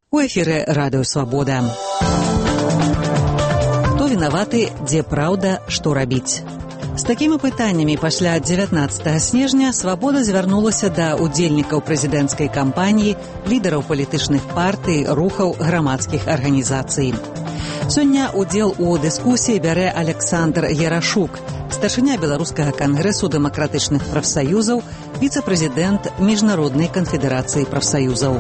У эфіры радыё «Свабода». Хто вінаваты, дзе праўда, што рабіць? З такімі пытаннямі пасля 19 снежня «Свабода» звярнулася да удзельнікаў прэзідэнцкай кампаніі, лідараў палітычных партый, рухаў, грамадскіх арганізацый. Сёння удзел у дыскусіі бярэ Александр Ярашук, старшыня Беларускага кангрэсу дэмакратычных прафсаюзаў, віцэ-прэзідэнт Міжнароднай канфедэрацыі прафсаюзаў.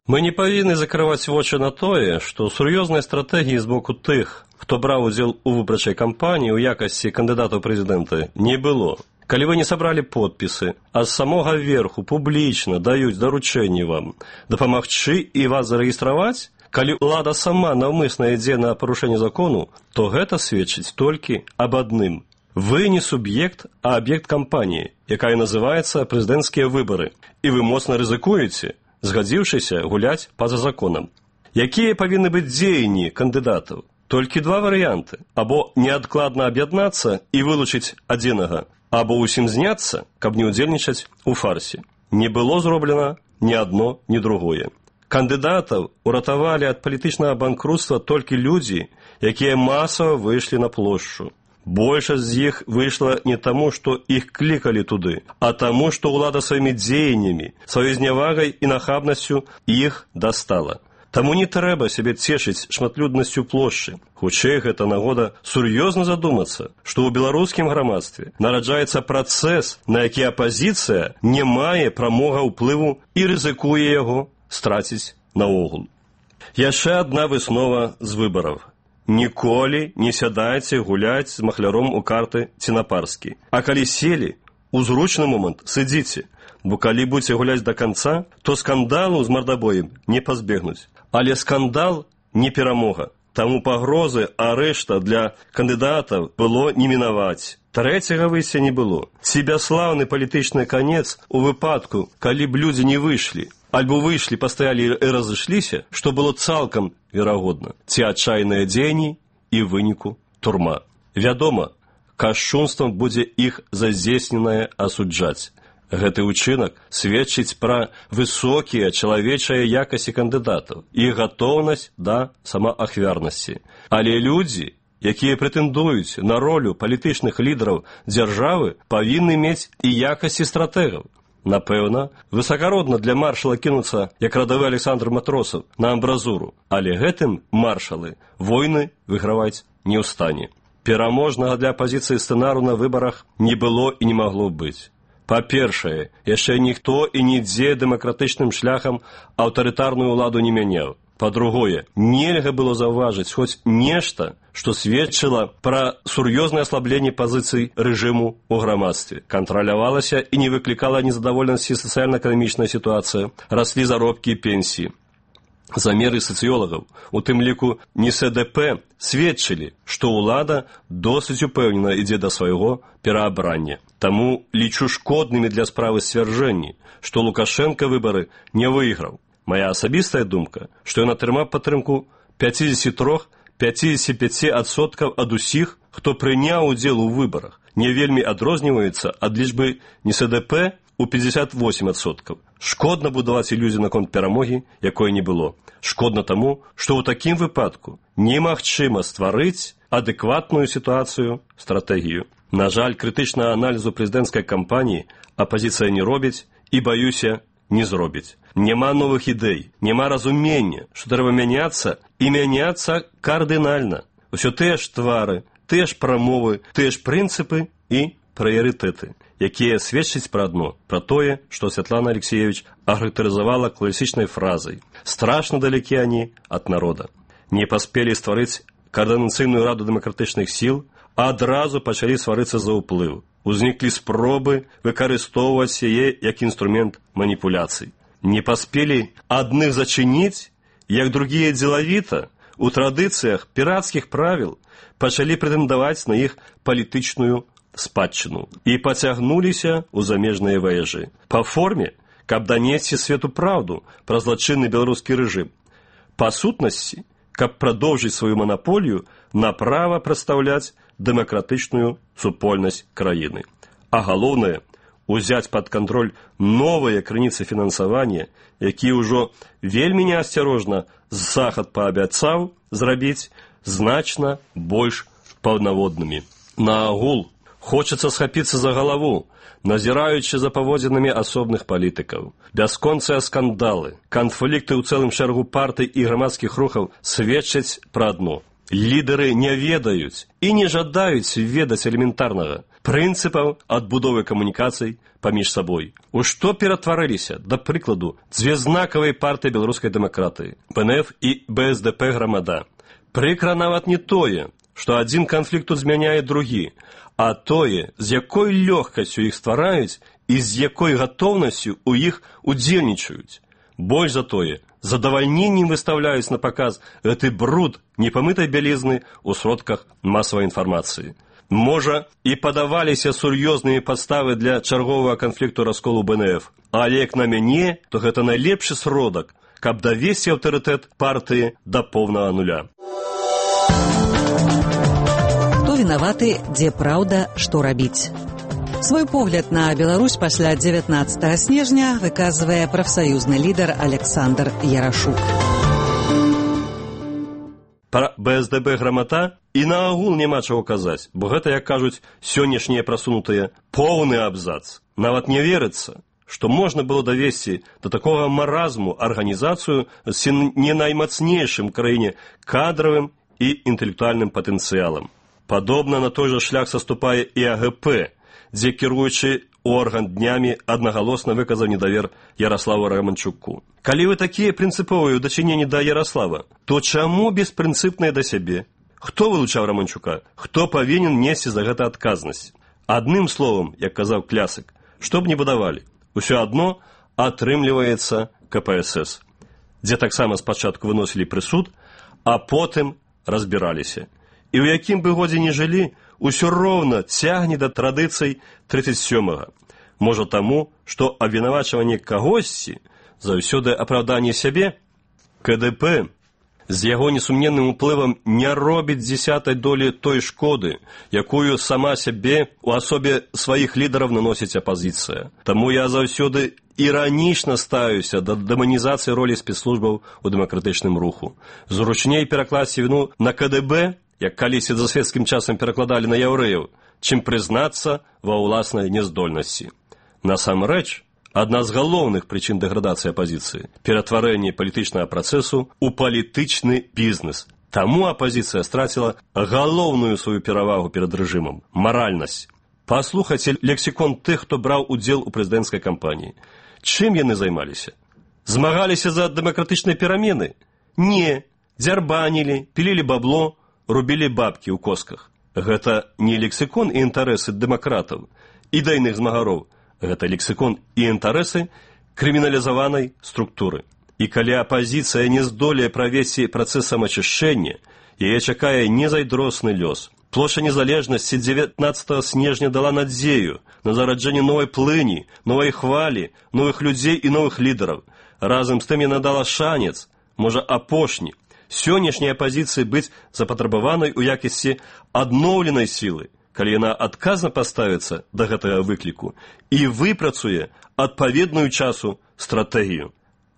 Мы не павінны закрываць вочы на тое, што сур'ёзнай стратэгіі з боку тых, хто браў удзел у выбарчай кампаніі ў якасці кандыдата ў прэзідэнты, не было. Калі вы не сабралі подпісы, а з самога верху публічна даюць даручэнні вам дапамагчы і вас зарэгістраваць, калі ўлада сама наўмысна ідзе на парушэнне закону, то гэта сведчыць толькі аб адным. Вы не суб'ект, а аб'ект кампаніі, якая называецца прэзідэнцкія выбары, і вы моцна рызыкуеце, згадзіўшыся гуляць па-за законам. Якія павінны быць дзеянні кандыдатаў? Толькі два варыянты. Або неадкладна аб'яднацца і вылучыць адзінага, або ўсім зняцца, каб не ўдзельнічаць у фарсе. Не было зроблена ні адно, ні другое. Кандыдатаў уратавалі ад палітычнага банкрутства толькі людзі, якія масава выйшлі на плошчу. Большасць з іх выйшла не таму, што іх клікалі туды, а таму, што ўлада сваімі дзеяннямі, сваёй знявагай і нахабнасцю іх дастала. Таму не трэба сябе цешыць шматлюднасцю плошчы. Хутчэй гэта нагода сур'ёзна задумацца, што ў беларускім грамадстве нараджаецца працэс, на які апазіцыя не мае прамога ўплыву і рызыкуе яго страціць наогул. Яшчэ адна выснова з выбараў. Ніколі не сядайце гуляць з махляром у карты ці на парскі. А калі селі, у зручны момант сыдзіце, бо калі будзеце гуляць да канца, то скандалу з мардабоем не пазбегнуць. Але скандал не перамога. Таму пагрозы арышта для кандыдатаў было не мінаваць. Трэцяга выйсця не было. Ці бясслаўны палітычны канец у выпадку, калі б людзі не выйшлі, альбо выйшлі, пастаялі і разышліся, што было цалкам верагодна. Ці адчайныя дзеянні і выніку турма. Вядома, кашчунствам будзе іх зазесненае асуджаць. Гэты ўчынак сведчыць пра высокія чалавечыя якасці кандыдатаў і гатоўнасць да самаахвярнасці. Але людзі, якія прэтэндуюць на ролю палітычных лідараў дзяржавы, павінны мець і якасці стратэгаў. Напэўна, высакародна для маршала кінуцца, як радавы Александр Матросаў, на амбразуру, але гэтым маршалы войны выграваць не ў стане. Пераможнага для апазіцыі сцэнару на выбарах не было і не магло быць. Па-першае, яшчэ ніхто і нідзе дэмакратычным шляхам аўтарытарную ўладу не мяняў. Па-другое, нельга было заўважыць хоць нешта, што сведчыла пра сур'ёзнае аслабленне пазіцый рэжыму ў грамадстве. Кантралявалася і не выклікала незадаволенасці сацыяльна-эканамічная сітуацыя, раслі заробкі і пенсіі. Замеры сацыёлагаў, у тым ліку НСДП, сведчылі, што ўлада досыць упэўнена ідзе да свайго пераабрання. Таму лічу шкоднымі для справы сцвярджэнні, што Лукашенка выбары не выйграў. Мая асабістая думка, што ён атрымаў падтрымку 53-55% ад усіх, хто прыняў удзел у выбарах, не вельмі адрозніваецца ад лічбы НСДП у 58%. Шкодна будаваць ілюзію наконт перамогі, якой не было. Шкодна таму, што ў такім выпадку немагчыма стварыць адэкватную сітуацыю, стратэгію. На жаль, крытычнага аналізу прэзідэнцкай кампаніі апазіцыя не робіць і, баюся, не зробіць. Няма новых ідэй, няма разумення, што трэба мяняцца і мяняцца кардынальна. Усё тыя ж твары, тыя ж прамовы, тыя ж прынцыпы і прыярытэты, якія сведчаць пра адно, пра тое, што Святлана Алексеевич ахарактарызавала класічнай фразай «страшна далекі они ад народа». Не паспелі стварыць каардынацыйную раду дэмакратычных сіл, а адразу пачалі сварыцца за ўплыў. Узніклі спробы выкарыстоўваць яе як інструмент маніпуляцый. Не паспелі адных зачыніць, як другія дзелавіта, у традыцыях пірацкіх правіл пачалі прэтэндаваць на іх палітычную спадчыну і пацягнуліся ў замежныя ваяжы. Па форме, каб данесці свету праўду пра злачынны беларускі рэжым. Па сутнасці, каб прадоўжыць сваю манаполію на права прадстаўляць дэмакратычную супольнасць краіны. А галоўнае, узяць пад кантроль новыя крыніцы фінансавання, якія ўжо вельмі неасцярожна захад паабяцаў зрабіць значна больш паўнаводнымі. Наогул, хочацца схапіцца за галаву, назіраючы за паводзінамі асобных палітыкаў. Бясконцыя скандалы, канфлікты ў цэлым шэрагу партый і грамадскіх рухаў сведчаць пра адно. Лідары не ведаюць і не жадаюць ведаць элементарнага прынцыпаў адбудовы камунікацый паміж сабой. У што ператварыліся, да прыкладу, дзве знакавыя партыі беларускай дэмакратыі, БНФ і БСДП «Грамада». Прыкра нават не тое, што адзін канфлікт змяняе другі, а тое, з якой лёгкасцю іх ствараюць і з якой гатоўнасцю ў іх удзельнічаюць. Больш за тое, задавальненнем выставляюць на паказ гэты бруд непамытай бялізны ў сродках масавай інфармацыі. Можа, і падаваліся сур'ёзныя падставы для чарговага канфлікту расколу БНФ, але як на мяне, то гэта найлепшы сродак, каб давесці аўтарытэт партыі да поўнага нуля. Хто вінаваты, дзе праўда, што рабіць? Свой погляд на Беларусь пасля 19 снежня выказвае прафсаюзны лідар Александр Ярашук. Пра БСДБ «Грамада» і наогул няма чаго казаць, бо гэта, як кажуць, сённяшнія прасунутыя поўны абзац. Нават не верыцца, што можна было давесці да такога маразму арганізацыю з не наймацнейшым краіне кадравым і інтэлектуальным патэнцыялам. Падобна на той жа шлях саступае і АГП, дзе кіруючы орган днямі аднагалосна выказаў недавер Яраславу Романчуку. Калі вы такія прынцыповыя ў дачыненні да Яраслава, то чаму беспрынцыпныя да сябе? Хто вылучаў Романчука? Хто павінен несці за гэта адказнасць? Адным словам, як казаў Клясык, што б не будавалі, усё адно атрымліваецца КПСС, дзе таксама спачатку выносілі прысуд, а потым разбіраліся. І ў якім бы годзе не жылі, усё роўна цягне да традыцый 37-га. Можа таму, што абвінавачванне кагосьці заўсёды апраўданне сябе? КДП з яго несумненным уплывам не робіць 10-й долі той шкоды, якую сама сябе у асобе сваіх лідараў наносіць апазіцыя. Таму я заўсёды іранічна ставіўся да дэманізацыі ролі спецслужбаў у дэмакратычным руху. Зручней перакласці віну на КДБ, як калісьці за свецкім часам перакладалі на яўрэяў, чым прызнацца ва ўласнай няздольнасці. Насамрэч, адна з галоўных прычын дэградацыі апазіцыі – ператварэнне палітычнага працэсу ў палітычны бізнес. Таму апазіцыя страціла галоўную сваю перавагу перад рэжымам – маральнасць. Паслухайце лексікон тых, хто браў удзел у прэзідэнцкай кампаніі. Чым яны займаліся? Змагаліся за дэмакратычныя перамены? Не. Дзярбанілі, пілілі бабло, рубілі бабкі ў косках. Гэта не лексікон і інтарэсы дэмакратаў, ідэйных змагароў. Гэта лексікон і інтарэсы крыміналізаванай структуры. І калі апазіцыя не здолее правесці працэс самаачышчэння, яе чакае незайдросны лёс. Плошча незалежнасці 19 снежня дала надзею на зараджэнне новай плыні, новай хвалі, новых людзей і новых лідараў. Разам з тым яна дала шанец, можа апошні, сённяшняй апазіцыі быць запатрабаванай у якасці адноўленай сілы, калі яна адказна паставіцца да гэтага выкліку і выпрацуе адпаведную часу стратэгію.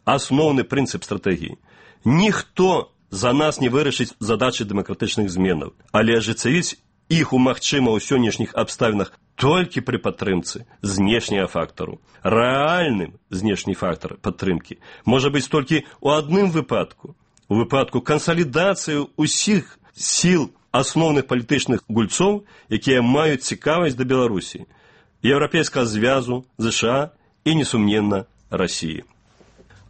Асноўны прынцып стратэгіі. Ніхто за нас не вырашыць задачы дэмакратычных зменаў, але ажыццявіць іх умагчыма ў сённяшніх абставінах толькі пры падтрымцы знешняга фактару. Рэальным знешні фактар падтрымкі можа быць толькі ў адным выпадку. У выпадку кансалідацыі ўсіх сіл асноўных палітычных гульцоў, якія маюць цікавасць да Беларусі, Еўрапейскага звязу, ЗША і, несумненна, Расіі.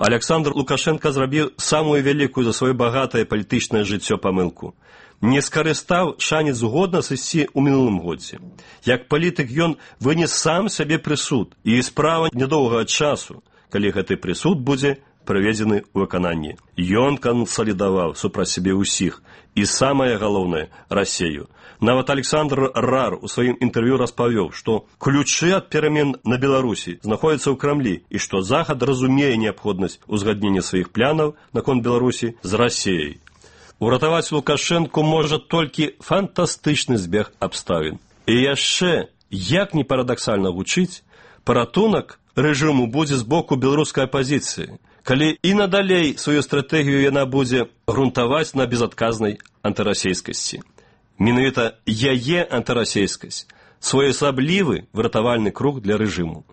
Александр Лукашенко зрабіў самую вялікую за сваё багатае палітычнае жыццё памылку. Не скарыстаў шанец згодна сысці ў мінулым годзе. Як палітык ён вынес сам сабе прысуд, і справа нядоўгага часу, калі гэты прысуд будзе прыведзены ў выкананне. Ён кансалідаваў супраць сябе ўсіх, і самае галоўнае – Расею. Нават Александр Рар у сваім інтэрв'ю распавёў, што ключы ад перамен на Беларусі знаходзяцца ў Крамлі і што Захад разумее неабходнасць узгаднення сваіх планаў наконт Беларусі з Расеяй. Уратаваць Лукашэнку можа толькі фантастычны збег абставін. І яшчэ, як не парадаксальна гучыць, Паратунак рэжыму будзе з боку беларускай апазіцыі, калі і надалей сваю стратэгію яна будзе грунтаваць на безадказнай антырасейскасці. Менавіта яе антырасейскасць – своеасаблівы выратавальны круг для рэжыму.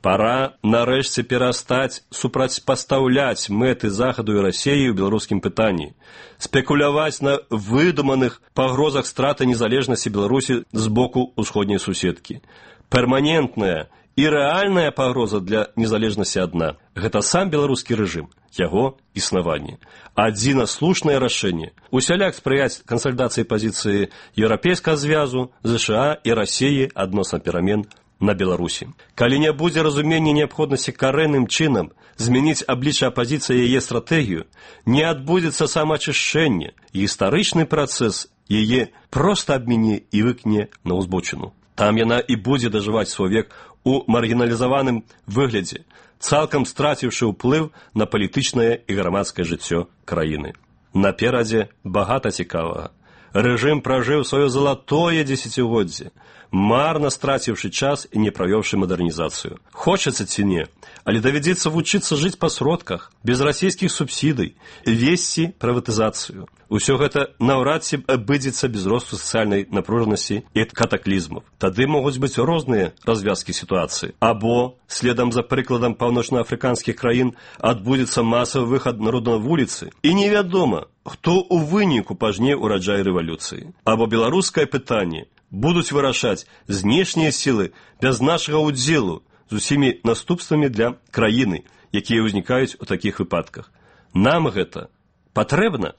Пора нарэшце перастаць супрацьпастаўляць мэты Захаду і Расіі ў беларускім пытанні, спекуляваць на выдуманых пагрозах страты незалежнасці Беларусі з боку усходняй суседкі. Перманентная і рэальная пагроза для незалежнасці адна – гэта сам беларускі рэжым, яго існаванне. Адзіна слушнае рашэнне – усяляк спрыяць кансалідацыі пазіцыі Еўрапейскага звязу, ЗША і Расіі адносна перамен на Беларусі. Калі не будзе разумення неабходнасці карэнным чынам змяніць аблічча апазіцыі яе стратэгію, не адбудзецца самаачышчэнне, гістарычны працэс яе проста абміне і выкне на ўзбочыну. Там яна і будзе дажываць свой век у маргіналізаваным выглядзе, цалкам страціўшы ўплыў на палітычнае і грамадскае жыццё краіны. Наперадзе багата цікавага. Рэжым пражыў сваё залатое дзесяцігоддзе, марна страціўшы час і не правёўшы мадэрнізацыю. Хочацца ці не, але давядзецца вучыцца жыць па сродках, без расійскіх субсідый, весці прыватызацыю. Усё гэта наўрад ці абыдзецца без росту сацыяльнай напружанасці і катаклізмаў. Тады могуць быць розныя развязкі сітуацыі. Або, следам за прыкладам паўночнаафрыканскіх краін, адбудзецца масавы выхад народа на вуліцы, і невядома, хто ў выніку пажне ўраджай рэвалюцыі. Або беларускае пытанне будуць вырашаць знешнія сілы без нашага ўдзелу з усімі наступствамі для краіны, якія ўзнікаюць у такіх выпадках. Нам гэта патрэбна?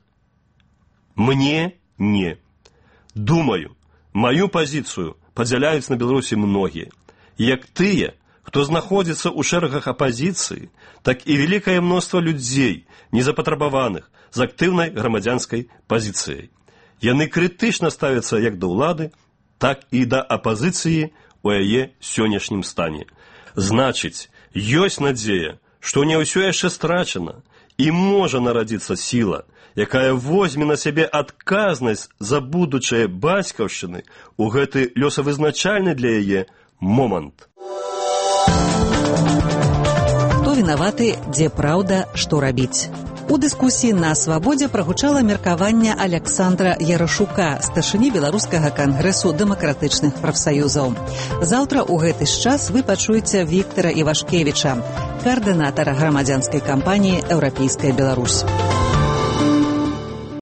Мне не. Думаю, маю пазіцыю падзяляюць на Беларусі многія. Як тыя, хто знаходзіцца ў шэрагах апазіцыі, так і вялікае мноства людзей, незапатрабаваных, з актыўнай грамадзянскай пазіцыяй. Яны крытычна ставяцца як да ўлады, так і да апазіцыі ў яе сённяшнім стане. Значыць, ёсць надзея, што не ўсё яшчэ страчана, і можа нарадзіцца сіла, якая возьме на сябе адказнасць за будучае бацькаўшчыны ў гэты лёсавызначальны для яе момант. Хто вінаваты, дзе праўда, што рабіць? У дыскусіі на Свабодзе прагучала меркаванне Аляксандра Ярашука, старшыні Беларускага кангрэсу дэмакратычных прафсаюзаў. Заўтра ў гэты ж час вы пачуеце Віктара Івашкевіча, каардынатара грамадзянскай кампаніі «Еўрапейская Беларусь».